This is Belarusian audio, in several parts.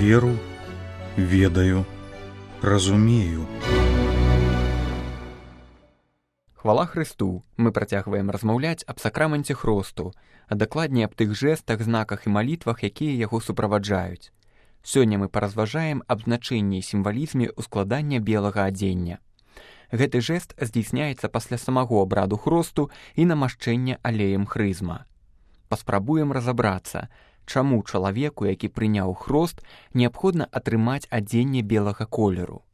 веру, ведаю, разумею. Хвала Христу! Мы працягваем размаўляць аб сакраменце хросту, а дакладней аб тых жэстах, знаках і малітвах, якія яго суправаджаюць. Сёння мы паразважаем аб значэнні і сімвалізме ускладання белага адзення. Гэты жэст здзейсняецца пасля самого абраду хросту і намашчэння алеем хрызма. Паспрабуем разабрацца, чаму чалавеку, які прыняў хрост, неабходна атрымаць адзенне белага колеру.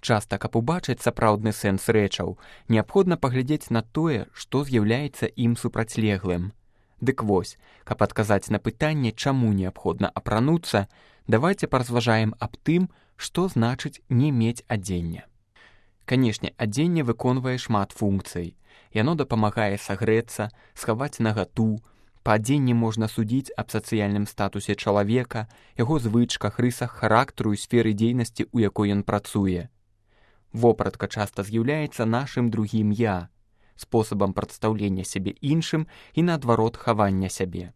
Часта, каб убачыць сапраўдны сэнс рэчаў, неабходна паглядзець на тое, што з'яўляецца ім супрацьлеглым. Дык вось, каб адказаць на пытанне, чаму неабходна апрануцца, давайце паразважаем аб тым, што значыць не мець адзення. Канешне, адзенне выконвае шмат функцый. Яно дапамагае сагрэцца, схаваць нагату. Па адзенні можна судзіць аб сацыяльным статусе чалавека, яго звычках, рысах характару і сферы дзейнасці, у якой ён працуе. Вопратка часта з'яўляецца нашым другім «я», спосабам прадстаўлення сябе іншым і, наадварот, хавання сябе.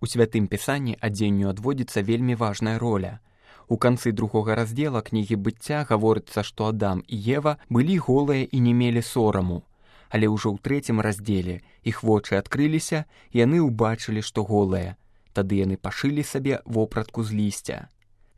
У Святым Пісанні адзенню адводзіцца вельмі важная роля. У канцы 2 раздзела кнігі быцця гаворыцца, што Адам і Ева былі голыя і не мелі сораму. Але ўжо ў 3 раздзеле іх вочы адкрыліся, і яны ўбачылі, што голыя. Тады яны пашылі сабе вопратку з лісця.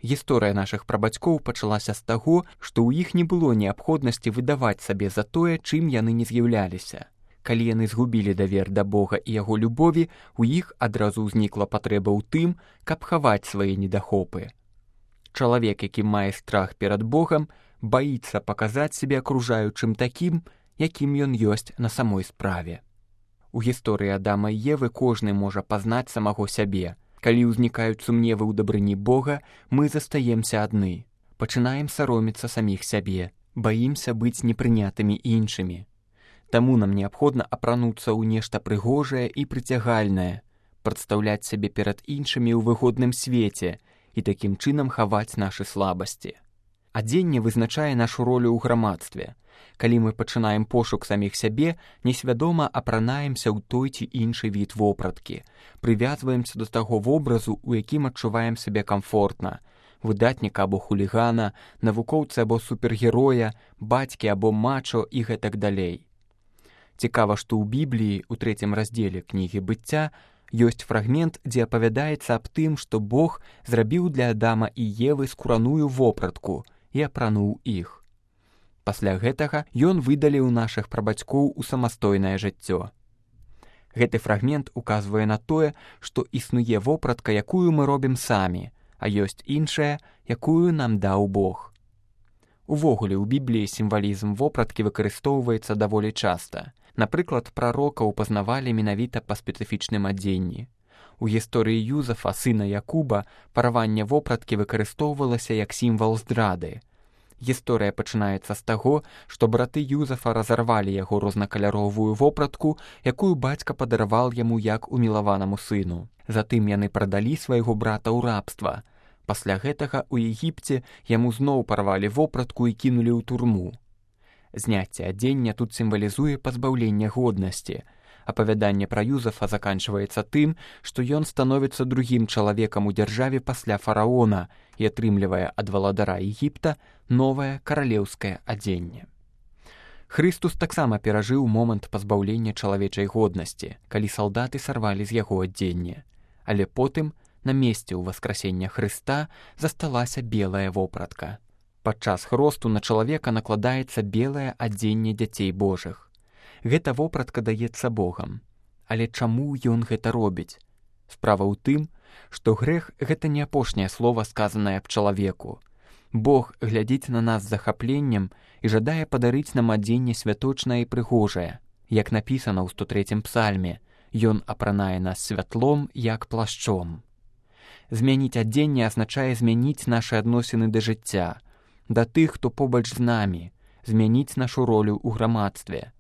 Гісторыя нашых прабацькоў пачалася з таго, што ў іх не было неабходнасці выдаваць сабе за тое, чым яны не з'яўляліся. Калі яны згубілі давер да Бога і яго любові, у іх адразу ўзнікла патрэба ў тым, каб хаваць свае недахопы. Чалавек, які мае страх перад Богам, баіцца паказаць сябе акружаючым такім, якім ён ёсць на самой справе. У гісторыі Адама і Евы кожны можа пазнаць самого сябе. Калі ўзнікаюць сумневы ў дабрыні Бога, мы застаемся адны. Пачынаем саромецца саміх сябе, баімся быць непрынятымі іншымі. Таму нам неабходна апрануцца ў нешта прыгожае і прыцягальнае, прадстаўляць сябе перад іншымі ў выгодным свеце і такім чынам хаваць нашы слабасці. Адзенне вызначае нашу ролю ў грамадстве. Калі мы пачынаем пошук саміх сябе, несвядома апранаемся ў той ці іншы від вопраткі, прывязваемся да таго вобразу, у якім адчуваем сябе камфортна, выдатніка або хулігана, навукоўца або супергероя, бацькі або мачо і гэтак далей. Цікава, што ў Бібліі, у 3 раздзеле кнігі быцця, ёсць фрагмент, дзе апавядаецца аб тым, што Бог зрабіў для Адама і Евы скураную вопратку і апрануў іх. Пасля гэтага ён выдаліў нашых прабацькоў у самастойнае жыццё. Гэты фрагмент указвае на тое, што існуе вопратка, якую мы робім самі, а ёсць іншая, якую нам даў Бог. Увогуле, у Бібліі сімвалізм вопраткі выкарыстоўваецца даволі часта. Напрыклад, прарокаў пазнавалі менавіта па спецыфічным адзенні. У гісторыі Юзафа, сына Якуба, параванне вопраткі выкарыстоўвалася як сімвал здрады. Гісторыя пачынаецца з таго, што браты Юзафа разарвалі яго рознакаляровую вопратку, якую бацька падараваў яму як умілаванаму сыну. Затым яны прадалі свайго брата ў рабства. Пасля гэтага ў Егіпце яму зноў парвалі вопратку і кінулі ў турму. Зняцце адзення тут сімвалізуе пазбаўленне годнасці. Апавяданне пра Юзафа заканчваецца тым, што ён становіцца другім чалавекам у дзяржаве пасля фараона і атрымлівае ад валадара Егіпта новае каралеўскае адзенне. Хрыстус таксама перажыў момант пазбаўлення чалавечай годнасці, калі салдаты сарвалі з яго адзенне. Але потым, на месцы ўваскрасення Хрыста, засталася белая вопратка. Падчас хросту на чалавека накладаецца белае адзенне дзяцей Божых. Гэта вопратка даецца Богам. Але чаму ён гэта робіць? Справа ў тым, што грэх — гэта не апошняе слова, сказанае аб чалавеку. Бог глядзіць на нас з захапленнем і жадае падарыць нам адзенне святочнае і прыгожае. Як напісана ў 103 псальме, ён апранае нас святлом, як плашчом. Змяніць адзенне азначае змяніць нашы адносіны да жыцця, да тых, хто побач з намі, змяніць нашу ролю ў грамадстве.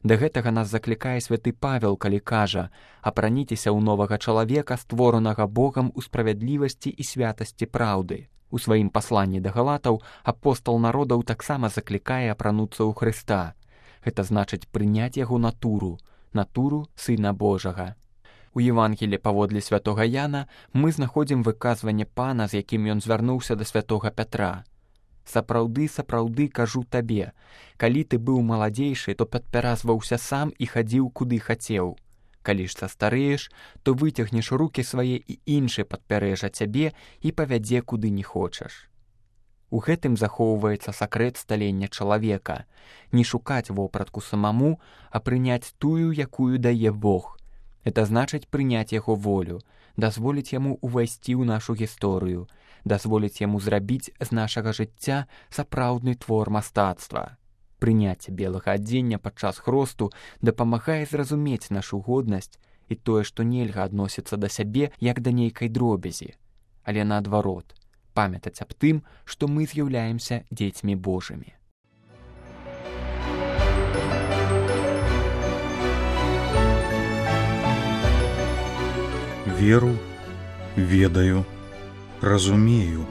Да гэтага нас заклікае святы Павел, калі кажа: «Апраніцеся ў новага чалавека, створанага Богам у справядлівасці і святасці праўды». У сваім пасланні да галатаў апостал народаў таксама заклікае апрануцца ў Хрыста. Гэта значыць прыняць яго натуру, натуру Сына Божага. У Евангелі паводле святога Яна мы знаходзім выказванне Пана, з якім ён звярнуўся да святога Пятра. «Сапраўды, сапраўды, кажу табе, калі ты быў маладзейшы, то падпяразваўся сам і хадзіў, куды хацеў. Калі ж састарэеш, то выцягнеш рукі свае і іншы падпярэжа цябе і павядзе, куды не хочаш». У гэтым захоўваецца сакрэт сталення чалавека. Не шукаць вопратку самому, а прыняць тую, якую дае Бог. Это значыць прыняць яго волю, дазволіць яму увайсці ў нашу гісторыю, дазволіць яму зрабіць з нашага жыцця сапраўдны твор мастацтва. Прыняцце белага адзення падчас хросту дапамагае зразумець нашу годнасць і тое, што нельга адносіцца да сябе як да нейкай дробязі, але наадварот, памятаць аб тым, што мы з'яўляемся дзецьмі Божымі. Веру, ведаю, разумею.